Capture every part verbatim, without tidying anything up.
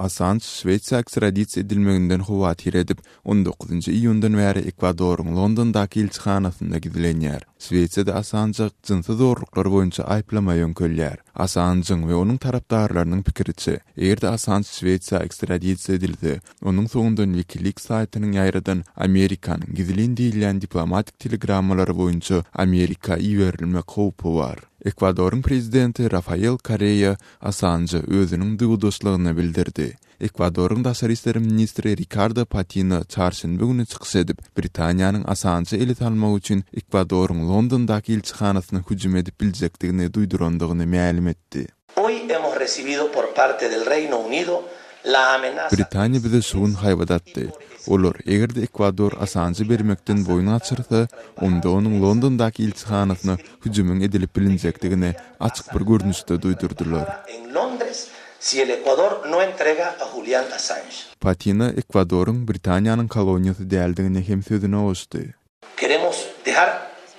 Assanj Şwesiýa ekstradisiýa edilmeginden howatyr edip, on dokuzynjy iýundan bäri Ekwadoryň Londondaky ilçihanasynda gizlenýär. Şwesiýada Assanja jynsy zorluklar boýunça aýyplama ýöňkelýär. Assanjyň we onuň tarapdarlarynyň pikiriçe, eger-de Assanj Şwesiýa ekstradisiýa edilse, onuň soňundan WikiLeaks saýtynyň ýaýradan Amerikanyň gizlin diýilýän diplomatik telegrammalary boýunça Amerika iberilmek howpy bar. Ekwadoryň prezidenti Rafael Korrea Assanja özüniň duýgudaşlygyny bildirdi. Ekwadoryň daşary işler ministri Rikardo Patino çarşenbe güni çykyş edip, Britaniýanyň Assanja ele salmak üçin Ekwadoryň Londondaky ilçihanasyna hüjüm edip biljekdigini duýdurandygyny mälim etdi. Hoy hemos recibido por parte del Reino Unido la amenaza Britaniýa bize şu gün haýbat atdy. Olar, eger-de Ekwador Assanjy bermekden boýun gaçyrsa, onda onuň Londondaky ilçihanasyna hüjümiň edilip bilinjekdigini açyk bir görnüşde duýdurdylar. en Londres si el Ecuador no entrega a Julian Assange. Patino Ekwadoryň Britaniýanyň koloniýasy däldigini hem sözüne goşdy. Queremos dejar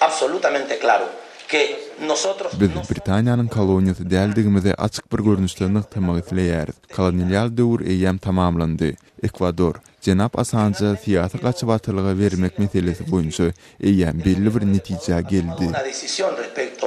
absolutamente claro que nosotros Biz Britaniýanyň koloniýasy däldigimizi açyk bir görnüşde nygtamak isleýäris. Kolonial döwür eýýäm tamamlandy. Ekwador, jenap Assanja syýasy gaçybatalga bermek meselesi boýunça eýýäm belli bir netijä geldi. una decisión respecto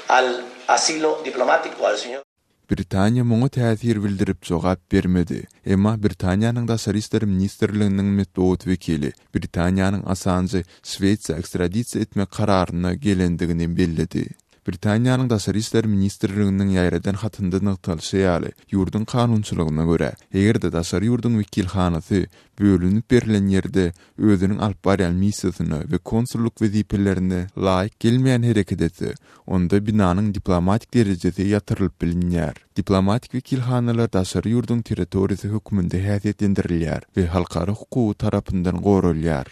al asilo diplomático al señor Britaniýa muňa täsir bildirip jogap bermedi. Emma Britaniýanyň Daşary işler ministrliginiň metbugat wekili Britaniýanyň Assanjy Şwesiýa ekstradisiýa etmek kararyna gelendigini belledi. Britaniýanyň Daşary işler ministrliginiň ýaýradan hatynda nygtalyşy ýaly, ýurduň kanunçylygyna görä, eger-de daşary ýurduň wekilhanasy bölünip berlen ýerde özüniň alyp barýan missiýasyna we konsullyk wezipelerine laýyk gelmeýän hereket etse, onda binanyň diplomatik derejesi ýatyrylyp bilinýär. Diplomatik wekilhanalar daşary ýurduň territoriýasy hökmünde häsiýetlendirilýär we halkara hukugy tarapyndan goralýar.